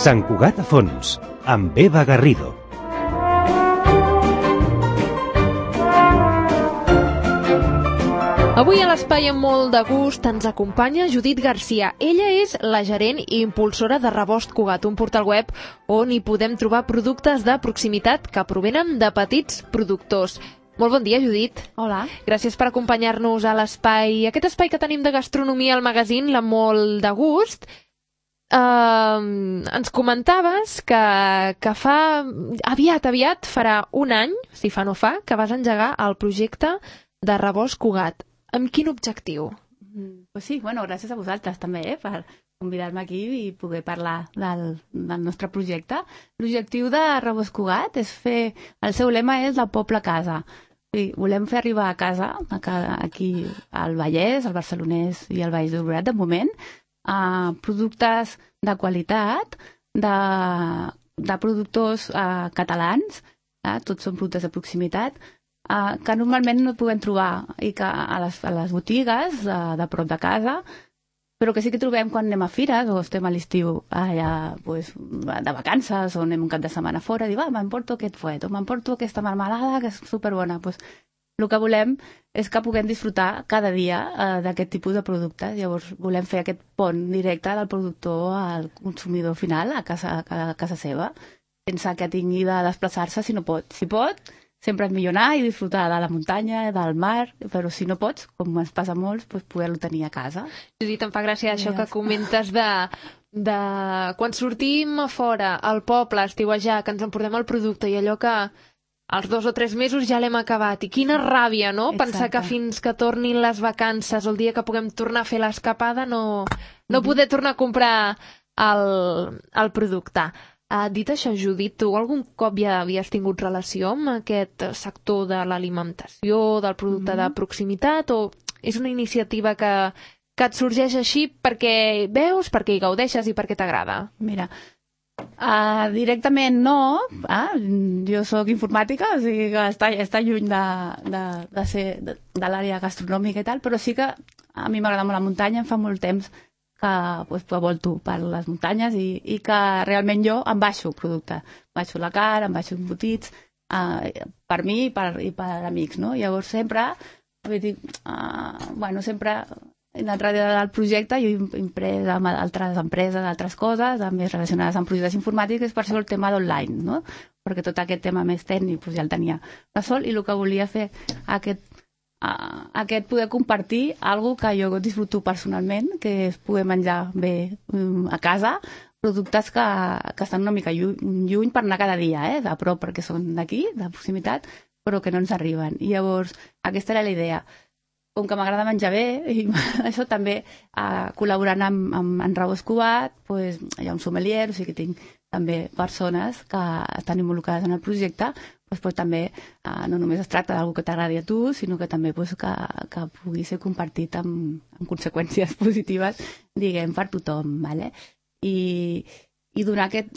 Sant Cugat a fons, amb Eva Garrido. Avui a l'Espai amb molt de gust ens acompanya Judit Garcia. Ella és la gerent i impulsora de Rebost Cugat, un portal web on hi podem trobar productes de proximitat que provenen de petits productors. Molt bon dia, Judit. Hola. Gràcies per acompanyar-nos a l'espai, aquest espai que tenim de gastronomia al magazín, la molt de gust. Ens comentaves que fa aviat farà un any, si fa no fa, que vas engegar el projecte de Rebost Cugat. Amb quin objectiu? Pues sí, bueno, gràcies a vosaltres també per convidar-me aquí i poder parlar del nostre projecte. L'objectiu de Rebost Cugat és fer... El seu lema és la poble a casa. Sí, volem fer arribar a casa, aquí al Vallès, al Barcelonès i al Baix Llobregat, de moment, productes de qualitat, de productors catalans, tots són productes de proximitat, que normalment no podem trobar i que a les botigues de prop de casa, però que sí que trobem quan anem a fires o estem a l'estiu allà de vacances o anem un cap de setmana fora i dir, m'emporto aquest fuet o m'emporto aquesta marmelada que és superbona. El que volem és que puguem disfrutar cada dia d'aquest tipus de productes. Llavors volem fer aquest pont directe del productor al consumidor final a casa seva, sense que tingui de desplaçar-se si no pot. Si pot, sempre és millor anar i disfrutar de la muntanya, del mar, però si no pots, com ens passa a molts, poder-lo tenir a casa. Judit, em fa gràcia això que comentes de quan sortim a fora, al poble, a estiuejar, que ens emportem el producte i allò que als 2 o 3 mesos ja l'hem acabat. I quina ràbia, no? Exacte. Pensar que fins que tornin les vacances o el dia que puguem tornar a fer l'escapada no poder tornar a comprar el producte. Dit això, Judit, tu algun cop ja havies tingut relació amb aquest sector de l'alimentació, del producte de proximitat, o és una iniciativa que et sorgeix així perquè veus, perquè hi gaudeixes i perquè t'agrada? Mira, directament no. Jo soc informàtica, o sigui que està lluny de l'àrea gastronòmica i tal, però sí que a mi m'agrada molt la muntanya, em fa molt temps que volto per les muntanyes i que realment jo em baixo producte. Em baixo la carn, em baixo embotits, per mi i per amics, no? Llavors sempre, sempre he anat darrere del projecte, jo he imprès amb altres empreses, altres coses, més relacionades amb projectes informàtics, per això el tema d'online, no? Perquè tot aquest tema més tècnic ja el tenia de sol i el que volia fer aquest poder compartir alguna que jo disfruto personalment, que és poder menjar bé a casa, productes que estan una mica lluny per anar cada dia, a prop perquè són d'aquí, de proximitat, però que no ens arriben. I llavors, aquesta era la idea. Com que m'agrada menjar bé, i això també, col·laborant amb Rebost Cugat, hi ha un sommelier, o sigui que tinc també persones que estan involucrades en el projecte, també no només es tracta d'alguna que t'agradi a tu, sinó que també que pugui ser compartit amb conseqüències positives, diguem, per tothom. I donar aquest...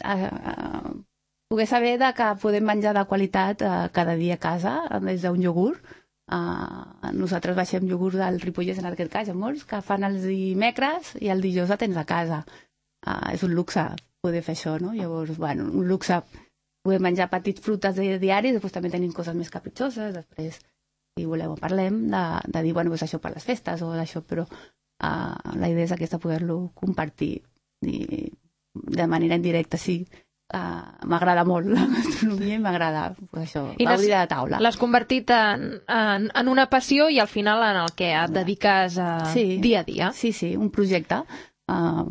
poder saber que podem menjar de qualitat cada dia a casa, des d'un iogurt. Nosaltres baixem iogurt del Ripollès, en aquest cas, molts que fan els dimecres i el dijous el tens a casa. És un luxe poder fer això, no? Llavors, un luxe poder menjar petits frutes diaris, després també tenim coses més capritxoses, després, si voleu, parlem de dir, això per les festes o d'això, però la idea és aquesta, poder-lo compartir de manera indirecta, sí. M'agrada molt la gastronomia i m'agrada gaudir de la taula. L'has convertit en una passió i al final en el que et dediques dia a dia. Sí, un projecte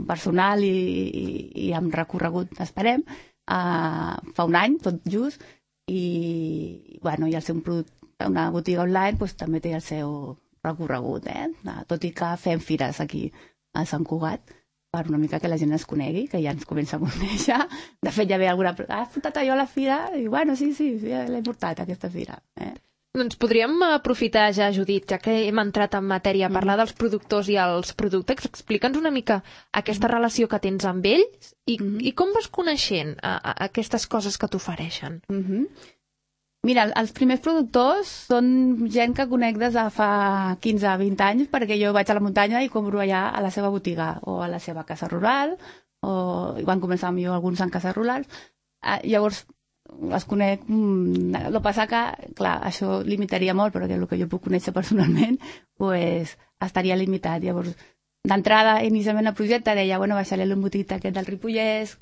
personal i amb recorregut, esperem, fa un any, tot just, i el seu producte, una botiga online també té el seu recorregut, tot i que fem fires aquí a Sant Cugat, per una mica que la gent ens conegui, que ja ens comença a conèixer. De fet, ja ve alguna... Has portat allò a la fira? I sí, l'he portat, aquesta fira. Doncs podríem aprofitar ja, Judit, ja que hem entrat en matèria, a parlar dels productors i els productes. Explica'ns una mica aquesta relació que tens amb ells i com vas coneixent aquestes coses que t'ofereixen. Mira, els primers productors són gent que conec des de fa 15 o 20 anys, perquè jo vaig a la muntanya i compro allà a la seva botiga o a la seva casa rural o van començar millor alguns en cases rurals. Llavors, les conec, el que passa que, clar, això limitaria molt, perquè el que jo puc conèixer personalment, pues, estaria limitat. Llavors, d'entrada, inicialment el projecte deia, bueno, baixaré l'embotit aquest del Ripollès,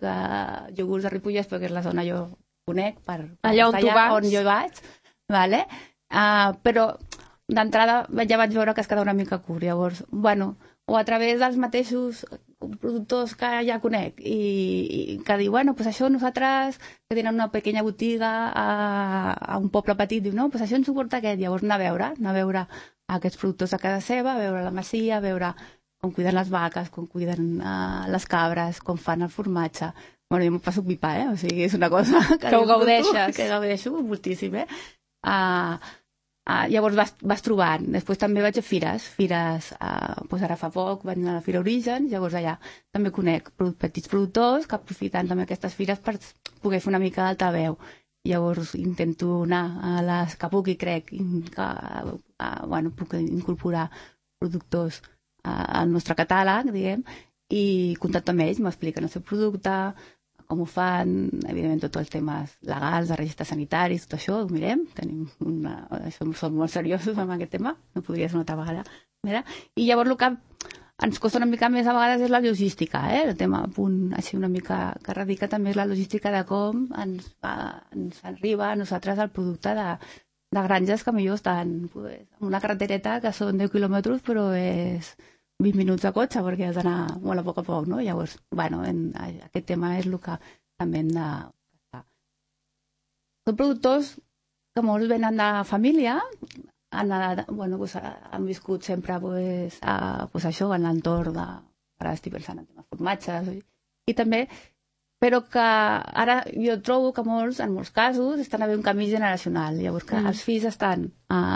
iogurts de Ripollès, perquè és la zona jo conec, allà on tu vas. On jo vaig, vale? Però d'entrada ja vaig veure que es quedava una mica curt. Llavors, bueno, o a través dels mateixos productors que ja conec i que diu, bueno, pues això nosaltres que tenen una pequeña botiga a un poble petit, diu, no, pues això ens suporta aquest. Llavors anar a veure aquests productors a casa seva, a veure la masia, a veure com cuiden les vaques, com cuiden les cabres, com fan el formatge. Bueno, jo m'ho passo pipa, o sigui, és una cosa que ho gaudeixes. Que gaudeixo moltíssim, llavors vas trobant. Després també vaig a fires, doncs ara fa poc vaig anar a la Fira Origen, llavors allà també conec petits productors que aprofiten també aquestes fires per poder fer una mica d'altaveu. Llavors intento anar a les que puc i crec que puc incorporar productors al nostre catàleg, diguem, i contacto amb ells, m'expliquen el seu producte, com ho fan, evidentment tots els temes legals, de registres sanitaris, tot això, ho mirem, som molt seriosos amb aquest tema, no podria ser una altra vegada. Mira? I llavors el que ens costa una mica més a vegades és la logística, el tema a punt així una mica que radica també és la logística de com ens arriba a nosaltres el producte de granges que millor estan en una carretereta que són 10 quilòmetres però és 20 minuts de cotxe perquè has d'anar molt a poc, no? Llavors, aquest tema és el que també hem de... Són productors que molts venen de família, han viscut sempre això en l'entorn de... Ara estic pensant en temes formatges i també, però que ara jo trobo que en molts casos estan a haver un canvi generacional, llavors que els fills estan,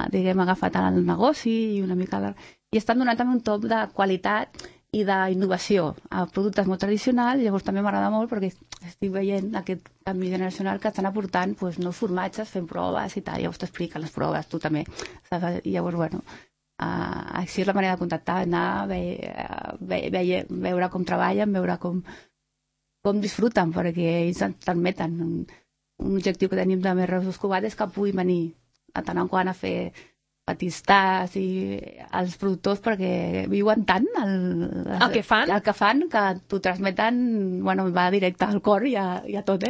diguem, agafat al negoci i una mica... i estan donant també un top de qualitat i d'innovació a productes molt tradicionals, llavors també m'agrada molt perquè estic veient aquest canvi generacional que estan aportant nous formatges, fent proves i tal, llavors t'expliquen les proves, tu també. I llavors, així és la manera de contactar, anar, veure com treballen, veure com disfruten, perquè ells ens transmeten. Un objectiu que tenim de Més Reus Cugat és que puguin venir de tant en quant a fer petits tasts i els productors perquè viuen tant el que fan que t'ho transmeten, va directe al cor i a tot,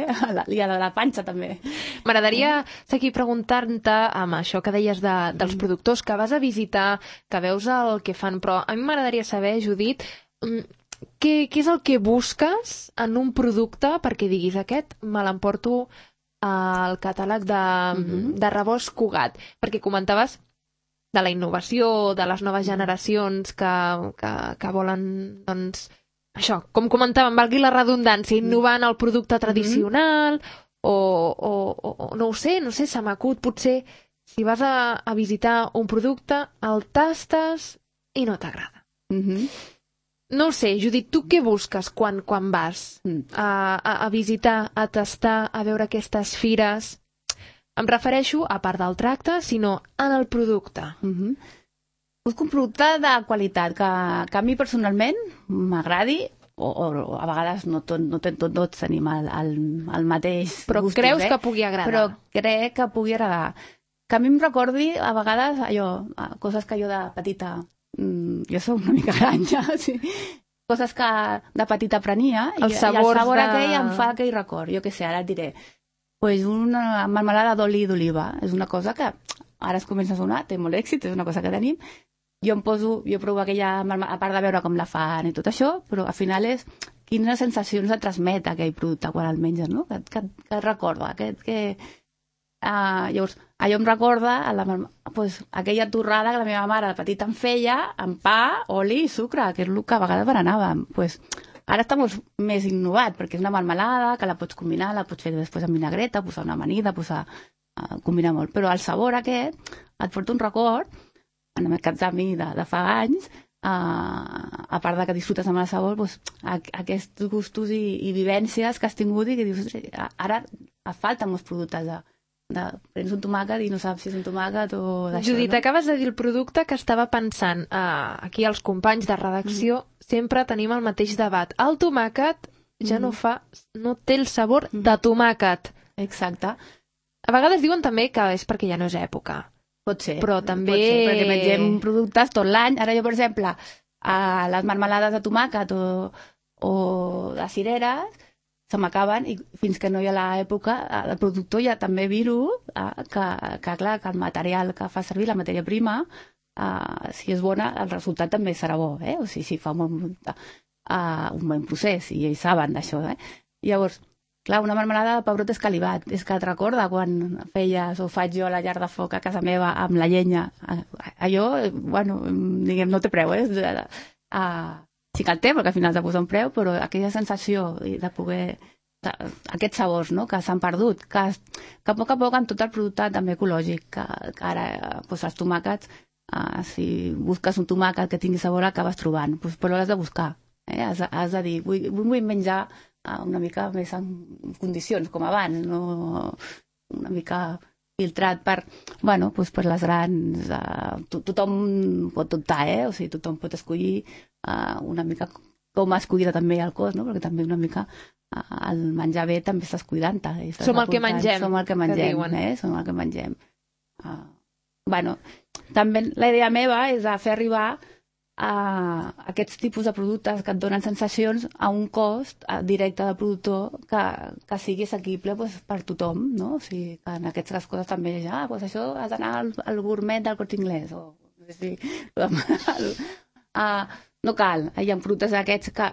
i a la panxa també. M'agradaria seguir preguntant-te amb això que deies dels productors que vas a visitar, que veus el que fan, però a mi m'agradaria saber, Judit, què és el que busques en un producte perquè diguis aquest me l'emporto al catàleg de Rebost Cugat, perquè comentaves de la innovació, de les noves generacions que volen, doncs, això, com comentàvem, valgui la redundància, innovant el producte tradicional, o no ho sé, se m'acut, potser, si vas a visitar un producte, el tastes i no t'agrada. No ho sé, Judit, tu què busques quan vas a visitar, a tastar, a veure aquestes fires? Em refereixo, a part del tracte, sinó en el producte. Busco un producte de qualitat que a mi personalment m'agradi, o a vegades no tots tenim el mateix gustos. Però creus que pugui agradar? Però crec que pugui agradar. Que a mi em recordi, a vegades, coses que jo de petita... Jo soc una mica granja, sí. Coses que de petita prenia, i el sabor aquell em fa aquell record. Jo què sé, ara et diré... una melmelada d'oli d'oliva. És una cosa que ara es comença a sonar, té molt èxit, és una cosa que tenim. Jo provo aquella melmelada, a part de veure com la fan i tot això, però al final és quines sensacions et transmet aquell producte quan el menges, no? Que et recorda. Llavors, allò em recorda aquella torrada que la meva mare de petita em feia amb pa, oli i sucre, que és el que a vegades berenàvem. Ara està molt més innovat, perquè és una melmelada que la pots combinar, la pots fer després amb vinagreta, posar una amanida, combinar molt. Però el sabor aquest et porta un record, en el cas de mi de fa anys, a part de que disfrutes amb el sabor, aquests gustos i vivències que has tingut i que dius, ara et falten molts productes prens un tomàquet i no saps si és un tomàquet o d'això. Judit, acabes de dir el producte que estava pensant. Aquí els companys de redacció sempre tenim el mateix debat. El tomàquet ja no té el sabor de tomàquet. Exacte. A vegades diuen també que és perquè ja no és època. Pot ser. Però també... Pot ser, perquè mengem productes tot l'any. Ara jo, per exemple, les marmelades de tomàquet o de cireres se m'acaben i fins que no hi ha l'època, el productor ja també viro que el material que fa servir, la matèria prima, si és bona, el resultat també serà bo, o sigui, si fa un bon procés, i ells saben d'això, Llavors, clar, una marmelada de pebrot escalivat, és que et recorda quan feies o faig jo a la llar de foc a casa meva amb la llenya, allò, bueno, diguem, no té preu, sí que el té, perquè al final t'ha posat un preu, però aquella sensació de poder... aquests sabors, no?, que s'han perdut, que a poc amb tot el producte també ecològic, que ara els tomàquets, si busques un tomàquet que tingui sabor, acabes trobant, però l'has de buscar, has de dir, vull menjar una mica més en condicions, com abans, no una mica filtrat per les grans... Tothom pot optar, o sigui, tothom pot escollir una mica com es cuida també el cos, no? Perquè també una mica el menjar bé també estàs cuidant-te. Som el que mengem. Som el que mengem, som el que mengem. També la idea meva és de fer arribar aquests tipus de productes que et donen sensacions a un cost directe del productor que sigui assequible per tothom, no? O sigui, que en aquestes coses també això has d'anar al gourmet del Corte Inglés, o no sé si... No cal, hi ha productes d'aquests que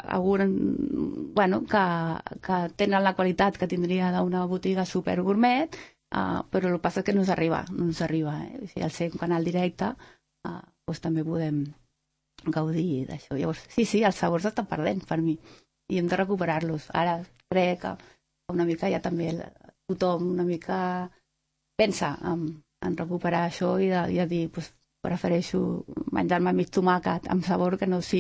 tenen la qualitat que tindria d'una botiga super gourmet, però el que passa és que no ens arriba. Si al ser un canal directe, també podem gaudir d'això. Llavors, sí, els sabors estan perdent per mi i hem de recuperar-los. Ara crec que una mica ja també tothom una mica pensa en recuperar això i de dir, prefereixo menjar-me mig tomàquet amb sabor que no sé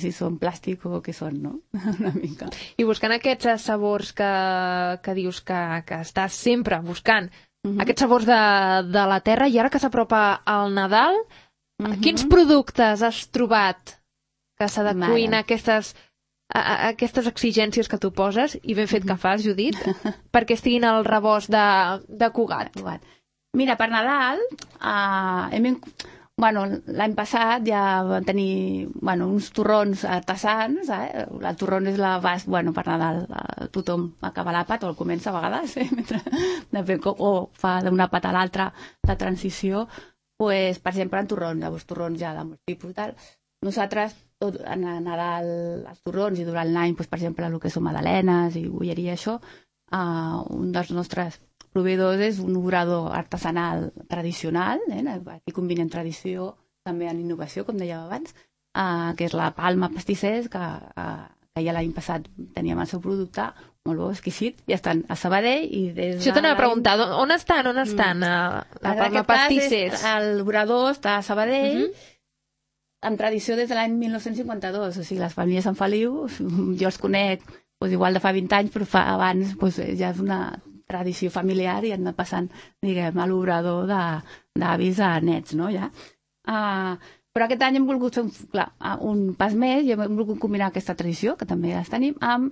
si són plàstic o què són, no? Una mica. I buscant aquests sabors que dius que estàs sempre buscant, aquests sabors de la terra, i ara que s'apropa al Nadal, quins productes has trobat que s'adequin a aquestes exigències que tu poses, i ben fet que fas, Judit, perquè estiguin al rebost de Cugat? Mira, per Nadal, l'any passat ja vam tenir uns torrons artesans. El torrón és la base, per Nadal tothom acaba l'àpat, o el comença a vegades, o fa d'una àpat a l'altra la transició, per exemple, en torrons, llavors torrons ja de molts tipus i tal. Nosaltres, a Nadal, els torrons, i durant l'any, per exemple, el que són magdalenes i bolleria, això, un dels nostres proveïdors és un obrador artesanal tradicional, aquí combinem tradició també en innovació, com dèiem abans, que és la Palma Pastissers, que ja l'any passat teníem el seu producte, molt bo, exquisit, i estan a Sabadell. Això t'anava a preguntar, on estan? La Palma Pastissers? L'obrador està a Sabadell, amb tradició des de l'any 1952, o sigui, les famílies Sant Feliu, jo els conec igual de fa 20 anys, però abans ja és una tradició familiar i han anat passant, diguem, a l'obrador d'avis a nets, no, ja. Però aquest any hem volgut fer un pas més i hem volgut combinar aquesta tradició, que també les tenim, amb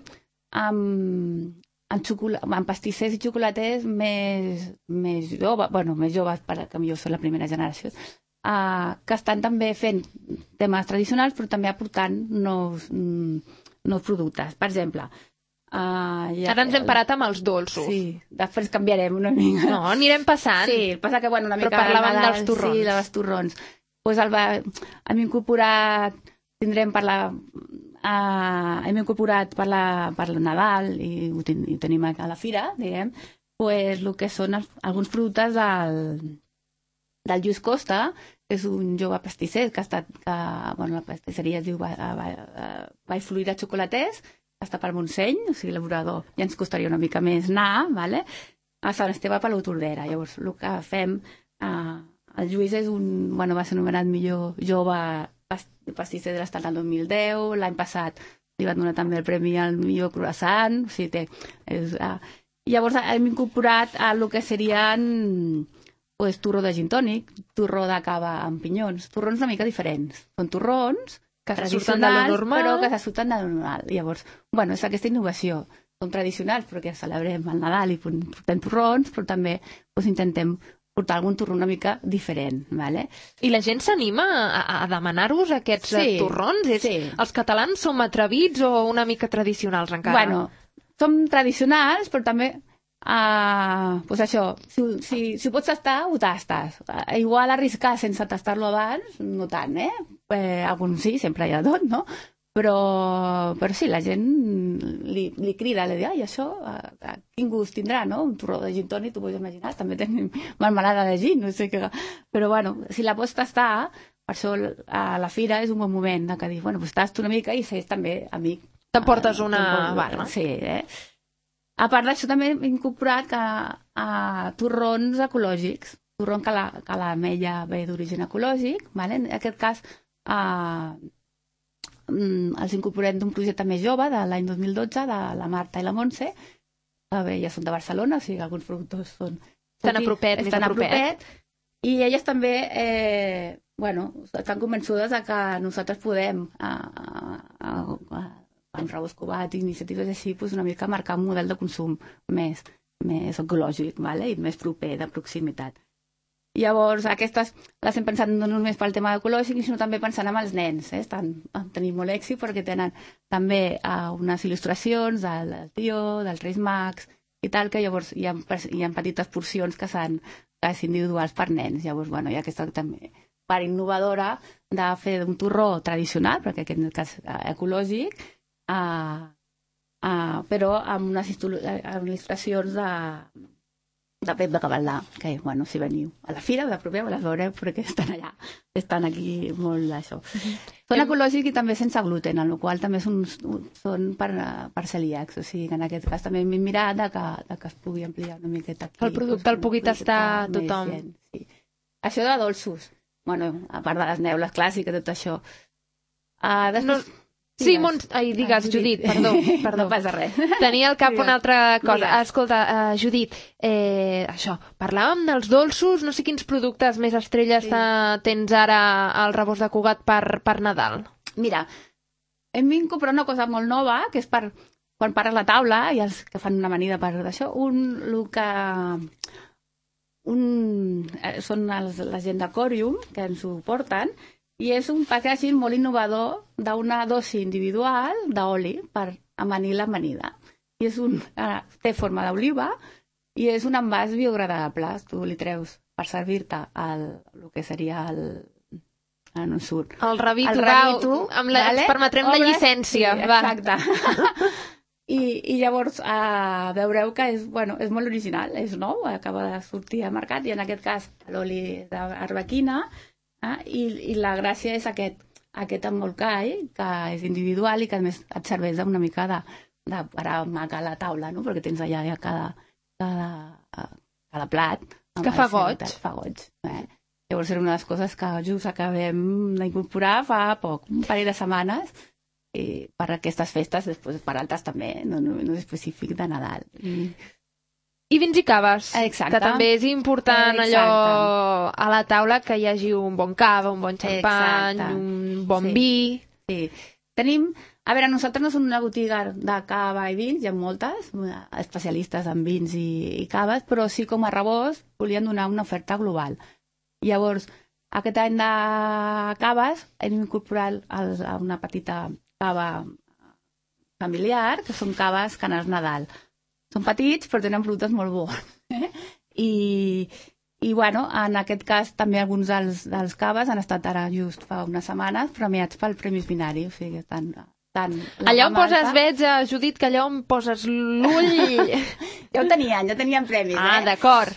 pastissers i xocolaters més joves, perquè jo soc la primera generació, que estan també fent temes tradicionals, però també aportant nous productes. Per exemple, ara ens hem parat amb els dolços. Sí, després canviarem una mica. No, anirem passant. Sí, passa que, una mica... Però parlàvem dels torrons. Sí, dels torrons. Hem incorporat, hem incorporat per el Nadal, i ho tenim a la fira, diguem, el que són alguns productes del Lluís Costa, que és un jove pastisser que ha estat, la pastisseria es diu Vall Fluida Xocolaters, està per Montseny, o sigui, l'obrador ja ens costaria una mica més anar, a Sant Esteve per l'Hortolera. Llavors, el que fem, el Lluís va ser nomenat millor jove pastisser de l'estat el 2010, l'any passat li van donar també el premi al millor croissant, o sigui, llavors hem incorporat el que serien torró de gin tònic, torró de cava amb pinyons, torrons una mica diferents. Són torrons Que se surten de lo normal. Però que se surten de lo normal. Llavors, bueno, és aquesta innovació. Són tradicionals perquè celebrem el Nadal i portem torrons, però també intentem portar algun torró una mica diferent. Vale? I la gent s'anima a demanar-vos aquests torrons? Sí. Els catalans som atrevits o una mica tradicionals encara? Bueno, som tradicionals, però també pues això, si ho pots tastar, ho tastes. Igual arriscar sense tastar-lo abans, no tant, alguns sí, sempre hi ha tot, no? Però sí, la gent li crida, li diu, ai, això, quin gust tindrà, no? Un torró de gin tònic, t'ho pots imaginar, també tenim marmelada de gin, no sé què. Però bueno, si la pots tastar, per això a la fira és un bon moment que dir, bueno, pues tasto una mica i sé també amic. T'emportes una barra. Sí, A part d'això també hem incorporat torrons ecològics, torrons que l'ametlla ve d'origen ecològic, vale? En aquest cas els incorporem d'un projecte més jove de l'any 2012 de la Marta i la Montse, que ja són de Barcelona, o sigui, alguns productors estan a propet, i elles també estan convençudes que nosaltres podem amb Raúl Escobat i iniciatives així una mica marcar un model de consum més ecològic, vale? I més proper, de proximitat. Llavors, aquestes les hem pensat no només pel tema ecològic, sinó també pensant en els nens. Tenim molt èxit perquè tenen també unes il·lustracions del tio, dels Reis Mags i tal, que llavors hi ha petites porcions que són individuals per nens. Llavors, hi ha aquesta també part innovadora de fer un torró tradicional, perquè aquest en el cas ecològic, però amb unes il·lustracions de Pep de Gavaldà, que, si veniu a la fira, la propera les veureu perquè estan allà, estan aquí molt d'això. Són ecològics i també sense gluten, en el qual també són per celíacs, o sigui, en aquest cas també hem mirat que es pugui ampliar una miqueta aquí. El producte el pugui tastar tothom. Sí. Això de dolços, a part de les neules clàssiques, tot això. Sí, digues, Judit, perdó. No passa res. Tenia al cap una altra cosa. Escolta, Judit, això, parlàvem dels dolços, no sé quins productes més estrelles tens ara al Rebost de Cugat per Nadal. Mira, hem incorporat una cosa molt nova, que és per quan pares la taula, i els que fan una amanida per d'això, són la gent de Corium, que ens ho porten, i és un packaging molt innovador d'una dosi individual d'oli per amanir l'amanida. I té forma d'oliva i és un envàs biodegradable. Tu li treus per servir-te el que seria no em surt. El rabito, permetrem la llicència. Sí, exacte. I llavors veureu que és molt original, és nou, acaba de sortir al mercat, i en aquest cas l'oli d'arlequina. I la gràcia és aquest embolcall, que és individual i que a més et serveix una mica de parar maca a la taula, no? Perquè tens allà cada plat. Que fa goig. Fa goig. Llavors era una de les coses que just acabem d'incorporar fa poc, un parell de setmanes, per aquestes festes, després per altres també, no és específic de Nadal. I vins i caves, exacte, que també és important allò a la taula, que hi hagi un bon cava, un bon xampany, un bon vi. Sí. Tenim, nosaltres no som una botiga de cava i vins, hi ha moltes, especialistes en vins i caves, però sí, com a Rebost volien donar una oferta global. Llavors, aquest any de caves hem incorporat una petita cava familiar, que són caves Canals Nadal. Són petits, però tenen productes molt bons. I en aquest cas també alguns dels caves han estat ara just fa unes setmanes premiats pel Premis Binari. O sigui, allà on poses, veig, Judit, que allà on poses l'ull... Ja tenien premis. D'acord,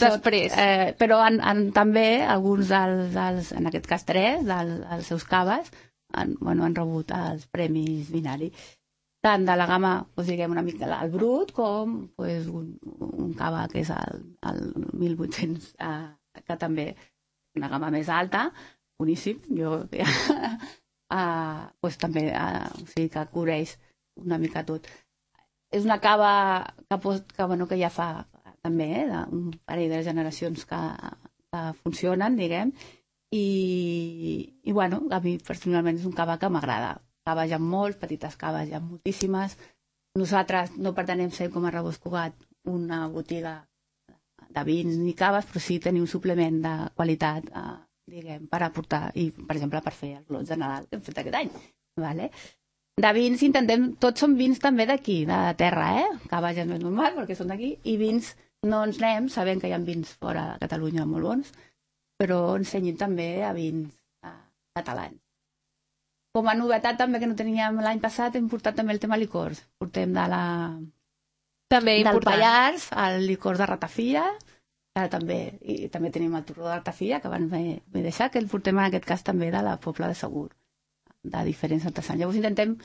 després. Però també alguns en aquest cas 3, dels seus caves, han rebut els Premis Binari. Tant de la gamma, diguem una mica el brut, com un cava que és el 1800, que també és una gamma més alta, boníssim, també que cobreix una mica tot. És una cava que ja fa també un parell de generacions que funcionen, diguem, i bueno, a mi personalment és un cava que m'agrada. Caves hi ha molts, petites caves hi ha moltíssimes. Nosaltres no pretenem ser com a Rebost Cugat una botiga de vins ni caves, però sí tenir un suplement de qualitat, diguem, per aportar, i per exemple per fer els lots de Nadal que hem fet aquest any. Vale? De vins intentem, tots són vins també d'aquí, de terra, caves ja no és normal perquè són d'aquí, i vins no ens anem, sabent que hi ha vins fora de Catalunya molt bons, però ensenyem també a vins catalans. Com a novetat també que no teníem l'any passat, hem portat també el tema licors. Portem del Pallars el licor de ratafia, i també tenim el torró de ratafia, que abans m'he deixat, que el portem en aquest cas també de la Pobla de Segur, de diferents artesans. Llavors intentem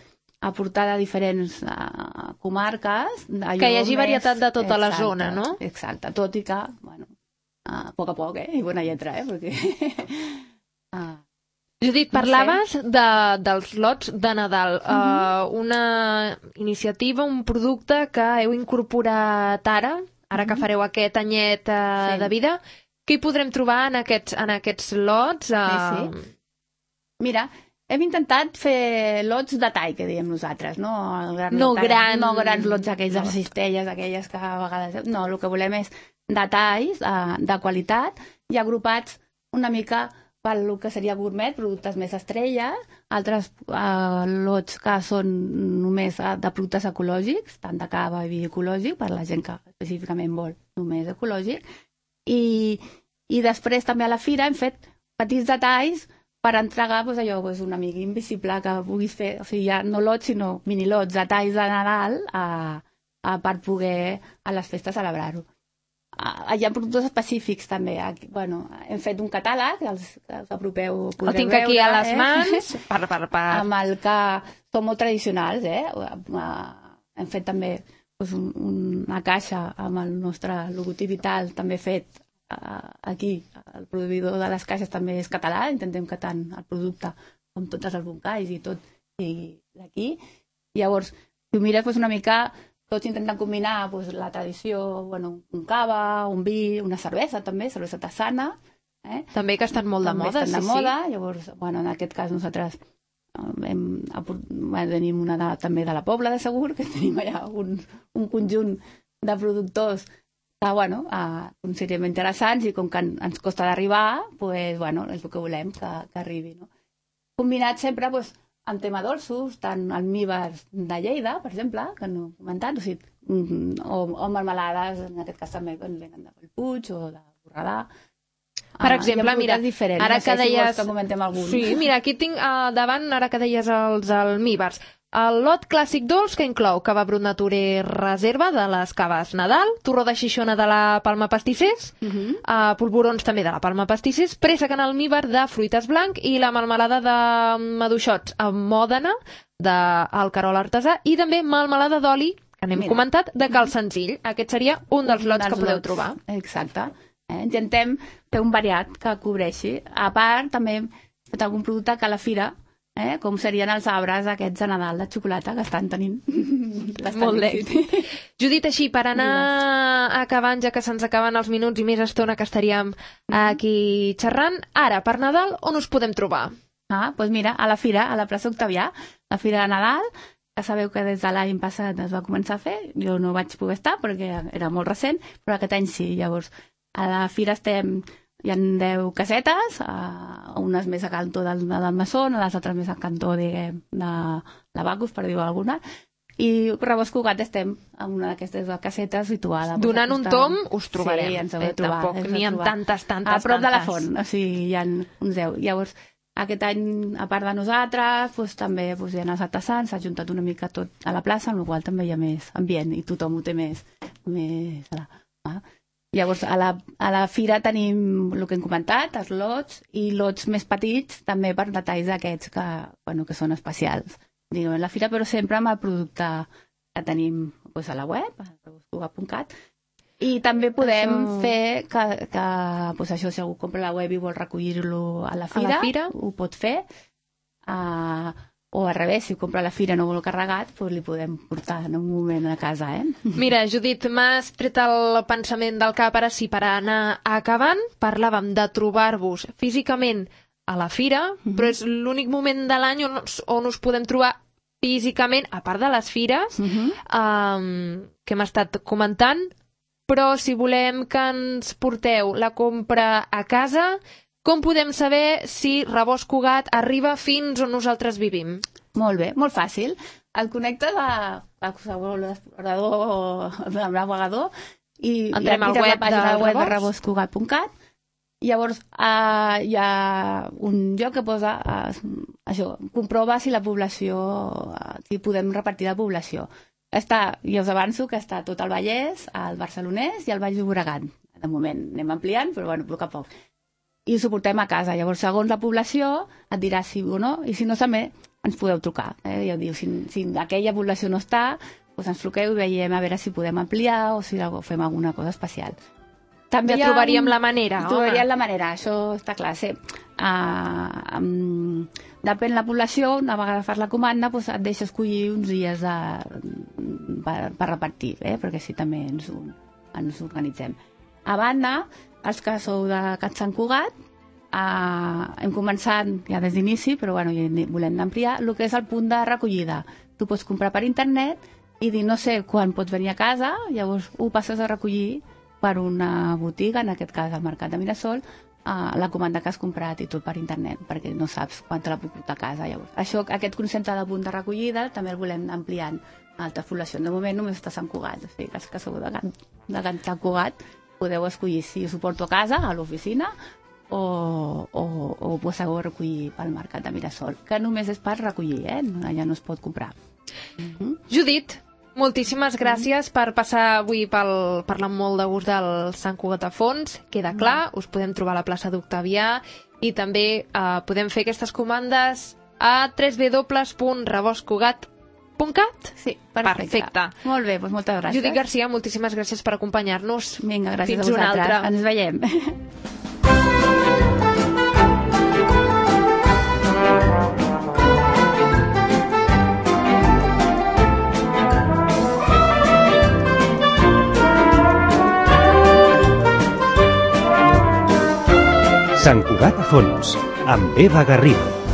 aportar de diferents comarques. Que hi hagi varietat de tota la zona, no? Exacte, tot i que, bueno, a poc, i bona lletra, perquè... Judit, parlaves dels lots de Nadal. Una iniciativa, un producte que heu incorporat ara que fareu aquest anyet de vida. Què hi podrem trobar en aquests lots? Sí. Mira, hem intentat fer lots de tall, que diem nosaltres, no? No grans lots aquells de cistelles, aquelles que a vegades... No, el que volem és detalls de qualitat i agrupats una mica pel que seria gourmet, productes més estrella, altres lots que són només de productes ecològics, tant de cava i vi ecològic, per la gent que específicament vol només ecològic, i després també a la fira hem fet petits detalls per entregar un amic invisible que puguis fer, o sigui, ja no lots, sinó minilots, detalls de Nadal per poder a les festes celebrar-ho. Hi ha productes específics també. Hem fet un catàleg, els apropeu, podreu veure. El tinc aquí a les mans. Amb el que són molt tradicionals. Hem fet també una caixa amb el nostre logotip vital, també fet aquí. El proveïdor de les caixes també és català, intentem que tant el producte com tots els albocalls i tot sigui d'aquí. Llavors, si ho mires una mica... Tots intenten combinar la tradició, un cava, un vi, una cervesa també, cervesa tassana. També que estan molt de moda, sí. Llavors, en aquest cas nosaltres tenim una també de la Pobla de Segur, que tenim allà un conjunt de productors que considerem interessants i com que ens costa d'arribar, és el que volem que arribi. Combinat sempre en tema dolços, tant almíbars de Lleida, per exemple, que no he comentat, o melmelades, en aquest cas també venen de Bellpuig o de Borredà. Per exemple, mira, ara que deies... Sí, mira, aquí tinc davant, ara que deies els almíbars, el lot clàssic dolç que inclou cava brut nature reserva de les caves Nadal, torró de Xixona de la Palma Pastissers, polvorons també de la Palma Pastissers, préssec en almíbar de fruites blanc i la melmelada de maduixots amb mòdena del Carol Artesà i també melmelada d'oli, que n'hem comentat, de Cal Senzill. Aquest seria un dels lots que podeu trobar. Exacte. Intentem fer un variat que cobreixi. A part, també hem fet algun producte que a la fira, com serien els arbres aquests de Nadal de xocolata que estan tenint molt d'èxit. Judit, així, per anar acabant, ja que se'ns acaben els minuts i més estona que estaríem aquí xerrant, ara, per Nadal, on us podem trobar? Doncs mira, a la fira, a la plaça Octavià, la fira de Nadal, que sabeu que des de l'any passat es va començar a fer, jo no vaig poder estar perquè era molt recent, però aquest any sí. Llavors, a la fira hi ha 10 casetes, unes més a cantó del Masson, les altres més a cantó, diguem, de la Bacus, per dir-ho alguna, i Rebost Cugat estem en una d'aquestes casetes situada. Donant un tom us trobarem. Sí, ens heu de trobar. Tampoc n'hi ha tantes. A prop de la font, o sigui, hi ha uns 10. Llavors, aquest any, a part de nosaltres, també hi ha els artesans, s'ha juntat una mica tot a la plaça, amb la qual també hi ha més ambient i tothom ho té més Llavors, a la fira tenim el que hem comentat, els lots, i lots més petits també per detalls d'aquests que són especials. Diguem, la fira, però sempre amb el producte que tenim a la web, a rebostcugat.cat, i també podem fer que això, si algú compra la web i vol recollir-lo a la fira, ho pot fer, o al revés, si compra a la fira no vol carregat, doncs li podem portar en un moment a casa, Mira, Judit, m'has tret el pensament del cap ara sí, per anar acabant. Parlàvem de trobar-vos físicament a la fira, però és l'únic moment de l'any on us podem trobar físicament, a part de les fires, que hem estat comentant, però si volem que ens porteu la compra a casa, com podem saber si Rebost Cugat arriba fins on nosaltres vivim? Molt bé, molt fàcil. Et connectes a l'ordinador, al navegador, i entrem al web de rebostcugat.cat. Llavors hi ha un lloc que posa això, comprova si la població, si podem repartir la població. Ja us avanço que està tot el Vallès, el Barcelonès i el Baix Llobregat. De moment anem ampliant, però bueno, a poc a poc. I us ho portem a casa. Llavors, segons la població, et dirà sí o no, i si no, també ens podeu trucar. Ja diu, si aquella població no està, doncs ens truqueu i veiem a veure si podem ampliar o si fem alguna cosa especial. També ja trobaríem la manera, home. Trobaríem la manera, això està clar. Sí. Depèn de la població, una vegada fas la comanda, doncs et deixa escollir uns dies per repartir, perquè així també ens organitzem. A banda, els que sou de Sant Cugat, hem començat ja des d'inici, però bueno, volem ampliar, el que és el punt de recollida. Tu pots comprar per internet i dir no sé quan pots venir a casa, llavors ho passes a recollir per una botiga, en aquest cas al Mercat de Mirasol, la comanda que has comprat i tot per internet, perquè no saps quan te la puc portar a casa. Llavors, aquest concepte de punt de recollida també el volem ampliant a altres poblacions. De moment només està a Sant Cugat, o sigui que els que sou de Sant Cugat podeu escollir si us ho porto a casa, a l'oficina, o ho podeu recollir pel Mercat de Mirasol, que només és per recollir, allà no es pot comprar. Judit, moltíssimes gràcies per passar avui parlant molt de gust del Sant Cugat a Fons. Queda clar, us podem trobar a la plaça d'Octavià i també podem fer aquestes comandes a www.rebostcugat.cat. Sí, perfecte. Molt bé, doncs moltes gràcies. Judit Garcia, moltíssimes gràcies per acompanyar-nos. Vinga, gràcies Fins a vosaltres. una altra. Ens veiem. Sant Cugat a Fons, amb Eva Garrido.